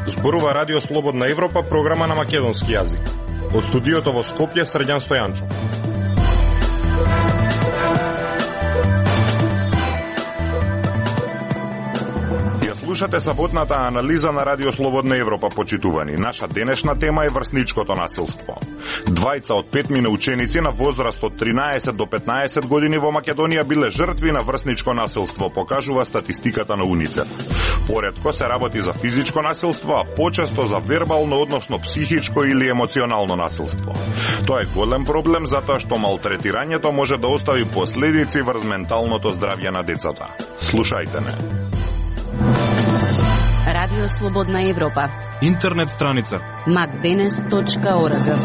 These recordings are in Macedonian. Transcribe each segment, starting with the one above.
Зборува Радио Слободна Европа, програма на македонски јазик. Од студиото во Скопје, Срđan Стојанчов. Слушате саботната анализа на Радио Слободна Европа, почитувани. Наша денешна тема е врсничкото насилство. Двајца од 5 ученици на возраст од 13 до 15 години во Македонија биле жртви на врсничко насилство, покажува статистиката на УНИЦЕФ. Поретко се работи за физичко насилство, а почесто за вербално, односно психичко или емоционално насилство. Тоа е голем проблем затоа што малтретирањето може да остави последици врз менталното здравје на децата. Слушајте не. Радио Слободна Европа. Интернет страница macdenes.org.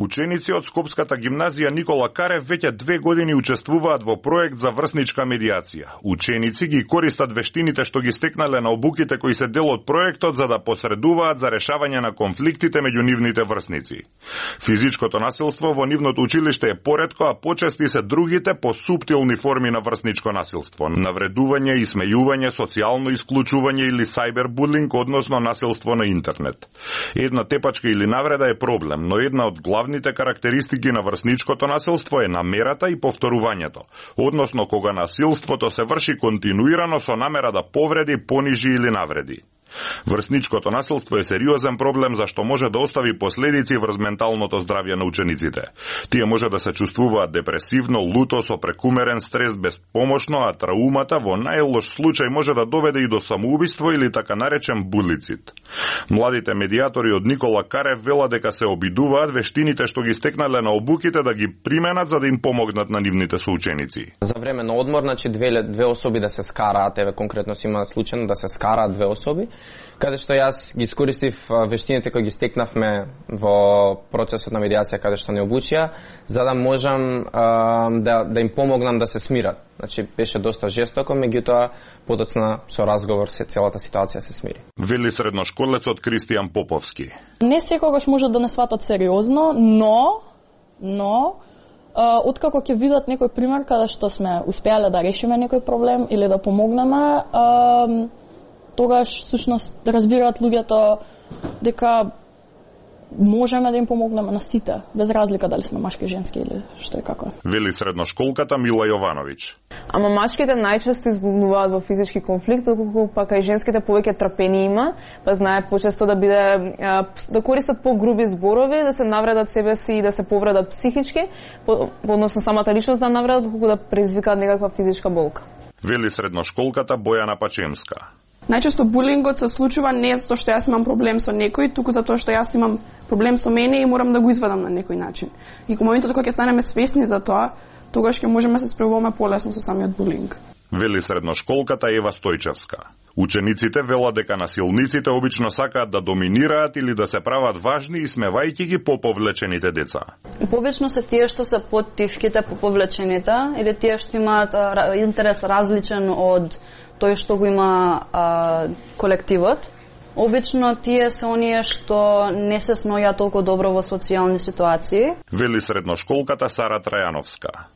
Ученици од Скопската гимназија Никола Карев веќе 2 години учествуваат во проект за врсничка медиација. Ученици ги користат вештините што ги стекнале на обуките кои се дел од проектот за да посредуваат за решавање на конфликтите меѓу нивните врсници. Физичкото насилство во нивното училиште е поретко, а почести се другите посуптилни форми на врсничко насилство: навредување, исмејување, социјално исклучување или сајбербулинг, односно насилство на интернет. Една тепачка или навреда е проблем, но една од главните карактеристики на врсничкото насилство е намерата и повторувањето, односно кога насилството се врши континуирано со намера да повреди, понижи или навреди. Врсничкото насилство е сериозен проблем зашто може да остави последици врз менталното здравје на учениците. Тие може да се чувствуваат депресивно, луто, со прекумерен стрес, безпомошно, а траумата во најлош случај може да доведе и до самоубиство или така наречен булицид. Младите медиатори од Никола Карев велат дека се обидуваат вештините што ги стекнале на обуките да ги применат за да им помогнат на нивните соученици. За време на одмор, значи две особи да се скараат, еве конкретно си има случајно да се скараат 2 особи, каде што јас ги искористив вештините кои ги стекнавме во процесот на медиација каде што не обучија, за да можам да им помогнам да се смират. Значи беше доста жестоко, меѓутоа подоцна со разговор се целата ситуација се смири. Вели средношколецот Кристијан Поповски. Не секогаш може да не сватат сериозно, но откако ќе видат некој пример каде што сме успеале да решиме некој проблем или да помогнеме, тогаш всушност разбираат луѓето дека можеме да им помогнеме на сите, без разлика дали сме машки, женски или што е како. Вели средношколката Мила Јовановиќ. Ама машките најчесто избунуваат во физички конфликт, доколку пак и женските повеќе трпение има, па знае почесто да користат погруби зборови, да се навредат себе си и да се повредат психички, односно самата личност да навредат, доколку да предизвикаат некаква физичка болка. Вели средношколката Бојана Пачемска. Најчесто булингот се случува не затоа што јас имам проблем со некој, туку затоа што јас имам проблем со мене и морам да го извадам на некој начин. И кога моментот кога ќе станеме свесни за тоа, тогаш ќе можеме да се справуваме полесно со самиот булинг. Вели средношколката Ева Стојчевска. Учениците велат дека насилниците обично сакаат да доминираат или да се прават важни и смевајќи ги поповлечените деца. Побично се тие што се поттивките поповлечените или тие што имаат интерес различен од тој што го има колективот. Обично тие се оние што не се сноѓаат толку добро во социјални ситуации. Вели средношколката Сара Трајановска.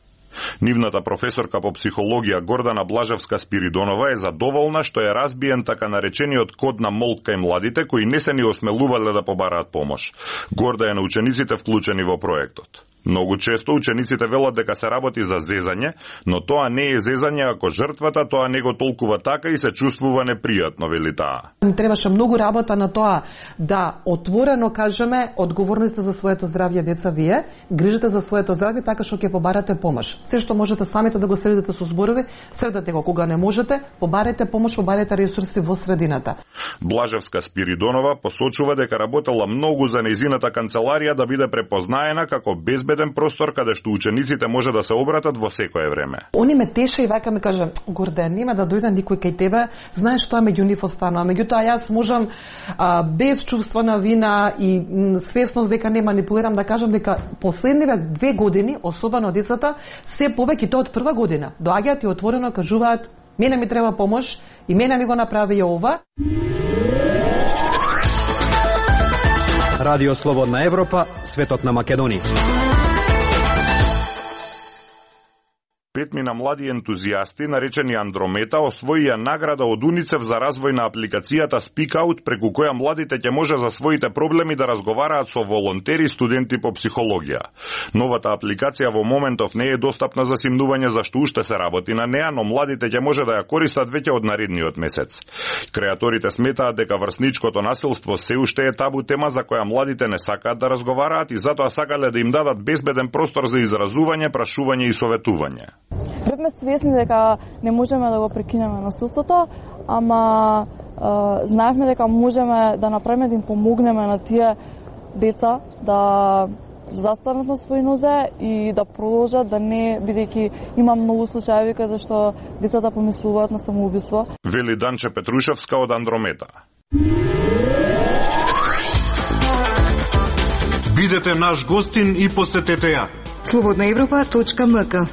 Нивната професорка по психологија Гордана Блажевска-Спиридонова е задоволна што е разбиен така наречениот код на молк кај младите кои не се ни осмелувале да побараат помош. Горда е на учениците вклучени во проектот. Многу често учениците велат дека се работи за зезање, но тоа не е зезање ако жртвата тоа не го толкува така и се чувствува непријатно, вели таа. Требаше многу работа на тоа да отворено кажеме одговорноста за своето здравје, деца, вие грижите за своето здравје така што ќе побарате помош. Се што можете самите да го средите со зборови, средете го. Кога не можете, побарете помош, побарете ресурси во средината. Блажевска Спиридонова посочува дека работела многу за нејзината канцеларија да биде препознаена како безбеден простор каде што учениците може да се обратат во секое време. Они ме теше и вака ми кажа: Горде, нема да дојде никој кај тебе, знаеш што меѓу нив останува. Меѓутоа јас можам без чувство на вина и свесност дека не манипулирам да кажам дека последниве 2 години, особено децата, се повеќе тоа од прва година доаѓаат и отворено кажуваат: мене ми треба помош и мене ми го направи ова. Радио Слободна Европа, светот на Македонија. 5 млади ентузијасти, наречени Андромета, освоија награда од УНИЦЕФ за развој на апликацијата Speak Out, преку која младите ќе може за своите проблеми да разговараат со волонтери студенти по психологија. Новата апликација во моментов не е достапна за симнување зашто уште се работи на неа, но младите ќе може да ја користат веќе од наредниот месец. Креаторите сметаат дека врсничкото насилство се уште е табу тема за која младите не сакаат да разговараат и затоа сакале да им дадат безбеден простор за изразување, прашување и советување. Бевме свесни дека не можеме да го прекинеме насилството, ама знаевме дека можеме да направиме да им помогнеме на тие деца да застанат на своји нозе и да продолжат да не, бидејќи има многу случаи каде што децата помислуваат на самоубиство. Вели Данче Петрушевска од Андромета. Бидете наш гостин и посетете ја. slobodnaevropa.mk.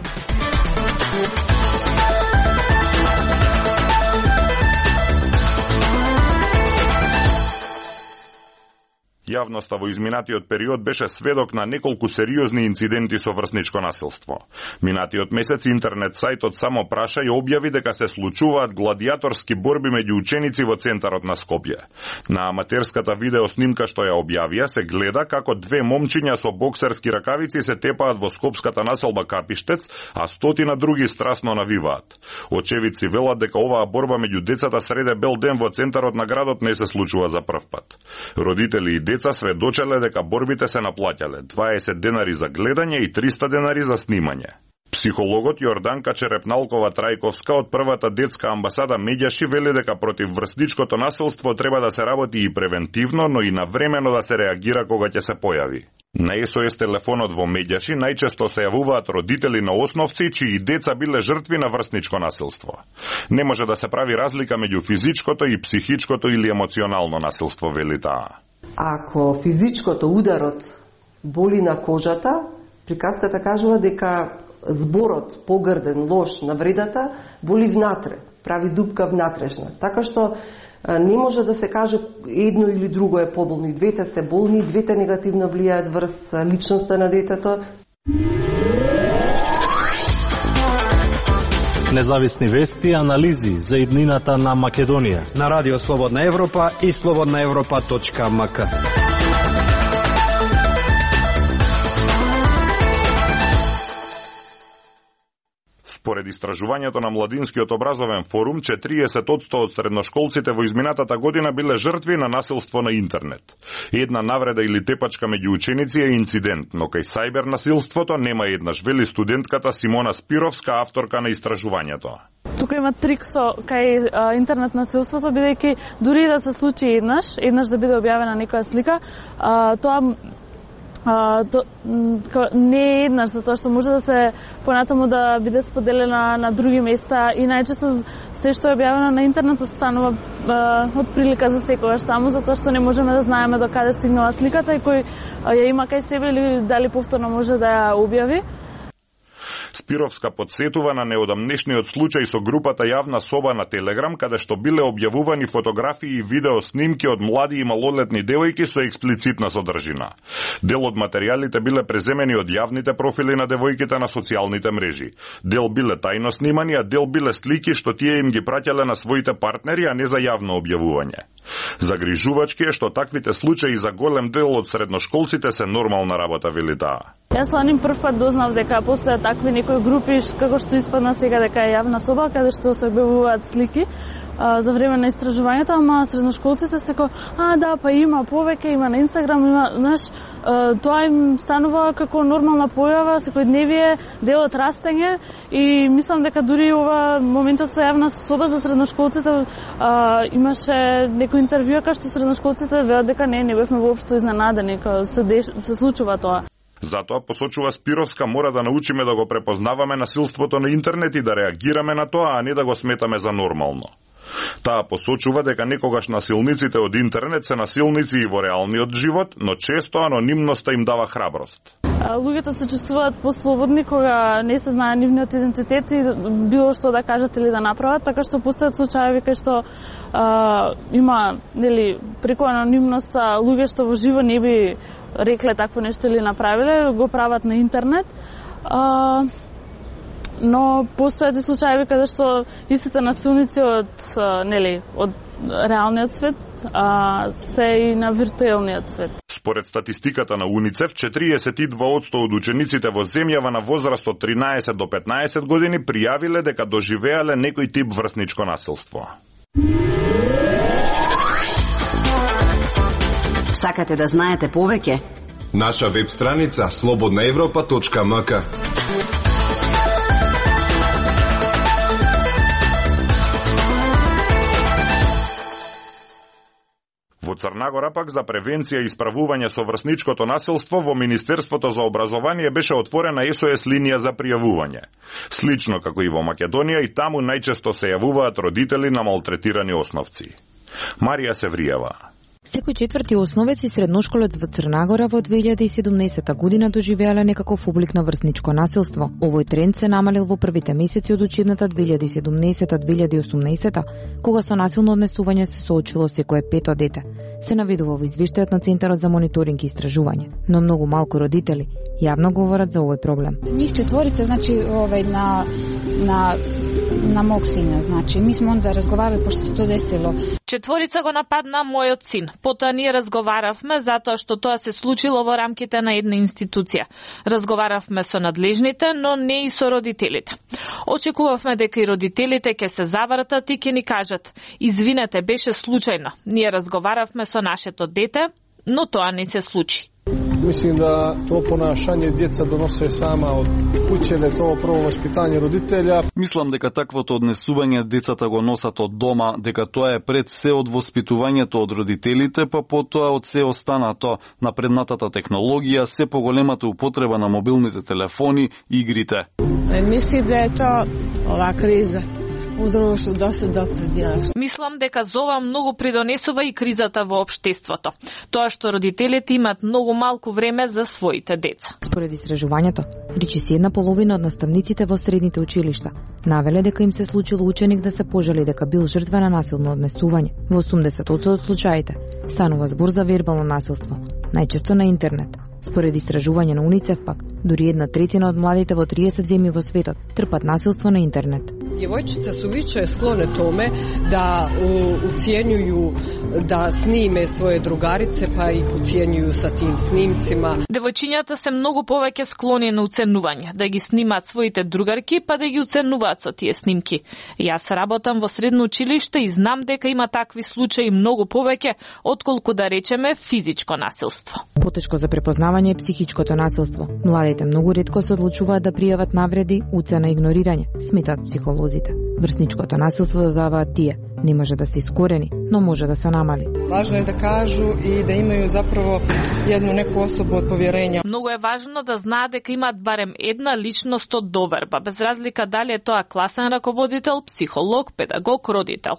Јавноста во изминатиот период беше сведок на неколку сериозни инциденти со врсничко насилство. Минатиот месец интернет сајтот Само праша ја објави дека се случуваат гладиаторски борби меѓу ученици во центарот на Скопје. На аматерската видеоснимка што ја објавија се гледа како две момчиња со боксерски ракавици се тепаат во скопската населба Капиштец, а стотина други страсно навиваат. Очевидци велат дека оваа борба меѓу децата среде бел ден во центарот на градот не се случува за прв пат. Родители и деца сведочеле дека борбите се наплаќале 20 денари за гледање и 300 денари за снимање. Психологот Јорданка Черепналкова-Трајковска од првата детска амбасада Медјаши вели дека против врсничкото насилство треба да се работи и превентивно, но и навремено да се реагира кога ќе се појави. На СОС телефонот во Медјаши најчесто се јавуваат родители на основци чии деца биле жртви на врсничко насилство. Не може да се прави разлика меѓу физичкото и психичкото или емоционално насилство, вели таа. Ако физичкото ударот боли на кожата, приказката кажува дека зборот погрден, лош, навредата боли внатре, прави дупка внатрешна. Така што не може да се каже едно или друго е поболно. И двете се болни, и двете негативно влијаат врз личноста на детето. Независни вести и анализи за иднината на Македонија на Радио Слободна Европа и slobodnaevropa.mk. Според истражувањето на Младинскиот образовен форум, 40% од средношколците во изминатата година биле жртви на насилство на интернет. Една навреда или тепачка меѓу ученици е инцидент, но кај сајбер насилството нема еднаш, вели студентката Симона Спировска, авторка на истражувањето. Тука има трик со кај интернет насилството, бидејќи дури да се случи еднаш да биде објавена некоја слика, тоа не е еднаш, затоа што може да се понатаму да биде споделена на други места и најчесто се што е објавено на интернет останува од прилика за секогаш таму, затоа што не можеме да знаеме до каде стигнала сликата и кој ја има кај себе или дали повторно може да ја објави. Спировска подсетува на неодамнешниот случај со групата Јавна соба на Телеграм, каде што биле објавувани фотографии и видеоснимки од млади и малолетни девојки со експлицитна содржина. Дел од материјалите биле преземени од јавните профили на девојките на социјалните мрежи. Дел биле тајно снимани, а дел биле слики што тие им ги праќале на своите партнери, а не за јавно објавување. Загрижувачки е што таквите случаи за голем дел од средношколците се нормална работа, вели таа. Јас со ним прв пат дознав дека постојат такви некои групи, како што испадна сега дека е Јавна соба, каде што се објавуваат слики за време на истражувањето, ама средношколците се да, па има повеќе, има на Инстаграм, има, знаеш, тоа им станува како нормална појава, секојдневие, дел од растење и мислам дека дури ова моментот со Јавна соба за средношколците имаше некој интервју кај што средношколците велат дека не бевме воопшто изненадени, кога се случува тоа. Затоа, посочува Спировска, мора да научиме да го препознаваме насилството на интернет и да реагираме на тоа, а не да го сметаме за нормално. Таа посочува дека некогаш насилниците од интернет се насилници и во реалниот живот, но често анонимноста им дава храброст. луѓето се чувствуваат послободни кога не се знае нивниот идентитет и било што да кажат или да направат, така што постојат случаи кај што има, нели, преку анонимност луѓе што во живо не би рекле такво нешто или направиле, го прават на интернет. Но постојат и случаи каде што истите насилници од реалниот свет се и на виртуелниот свет. Според статистиката на УНИЦЕФ, 42% од учениците во земјава на возраст од 13 до 15 години пријавиле дека доживеале некој тип врсничко насилство. Сакате да знаете повеќе? Наша веб страница slobodnaevropa.mk. Во Црнагора пак за превенција и исправување со врсничкото насилство во Министерството за образование беше отворена SOS линија за пријавување. Слично како и во Македонија, и таму најчесто се јавуваат родители на малтретирани основци. Марија Севриева. Секој четврти основец и средношколец во Црнагора во 2017 година доживеале некаков облик на врсничко насилство. Овој тренд се намалил во првите месеци од учебната 2017-2018, кога со насилно однесување се соочило секое пето дете. Се наведува во извештајот на Центарот за мониторинг и истражување, но многу малку родители јавно говорат за овој проблем. Njih četvorica, znači, na mog sina, znači, mi smo onda razgovarali, pošto se to desilo. Четворица го нападна мојот син. Потоа ние разговаравме затоа што тоа се случило во рамките на една институција. Разговаравме со надлежните, но не и со родителите. Очекувавме дека и родителите ќе се завртат и ќе ни кажат: "Извинете, беше случајно. Ние разговаравме со нашето дете, но тоа не се случи." Mislim da to ponašanje djeca donose sama od kuće, da je to prvo vaspitanje roditelja. Мислам дека таквото однесување децата го носат од дома, дека тоа е пред се од воспитувањето од родителите, па потоа од се останато, напреднатата технологија, се поголемата употреба на мобилните телефони и игрите. Мислам да е тоа ова криза у друштву доста допринела. Мислам дека за ова многу придонесува и кризата во општеството. Тоа што родителите имаат многу малку време за своите деца. Според истражувањето, речиси една половина од наставниците во средните училишта навеле дека им се случило ученик да се пожали дека бил жртва на насилно однесување. Во 80% од случаите станува збор за вербално насилство, најчесто на интернет. Според истражување на УНИЦЕФ пак, дури 1/3 од младите во 30 земји во светот трпат насилство на интернет. Djevojčice su više sklone tome da ucijenjuju, da snime svoje drugarice pa ih ucijenjuju sa tim snimcima. Девојчињата се многу повеќе склони на уценување, да ги снимаат своите другарки па да ги уценуваат со тие снимки. Јас работам во средно училиште и знам дека има такви случаи многу повеќе отколку да речеме физичко насилство. Потешко за препознавање е психичкото насилство. Младите многу ретко се одлучуваат да пријават навреди, уцена и игнорирање, сметаат психолозите. Врсничкото насилство, додаваат тие, не може да се искорени, но може да се намали. Важно е да кажу и да имају заправо едну неку особу од поверење. Многу е важно да знаат дека имаат барем една личност од доверба, без разлика дали е тоа класен раководител, психолог, педагог, родител.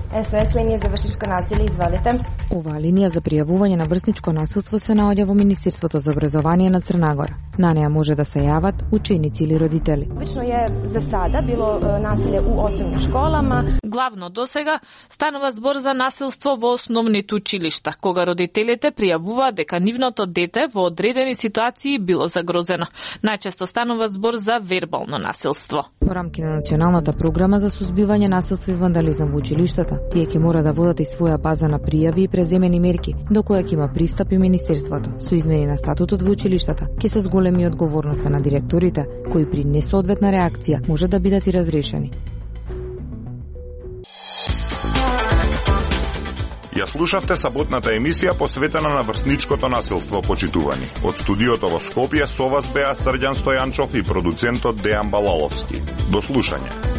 SOS линија за врсничко насилие, извадите. Оваа линија за пријавување на врсничко насилство се наоѓа во Министерството за образование на Црнагора. На неа може да се јават ученици или родители. Обично е за сада било насилие у основни школама. Главно досега станува збор за насилство во основните училишта, кога родителите пријавуваат дека нивното дете во одредени ситуации било загрозено. Најчесто станува збор за вербално насилство. Во рамки на националната програма за сузбивање насилство и вандализам во училиштата, тие ќе мора да водат и своја база на пријави и преземени мерки, до која ќе има пристап и Министерството. Со измени на статутот во училиштата ќе се зголеми одговорноста на директорите, кои при несоодветна реакција може да бидат и разрешени. Ја слушавте саботната емисија посветена на врсничкото насилство, почитувани. Од студиото во Скопје со вас беа Срđan Стојанчов и продуцентот Дејан Балаловски. До слушање.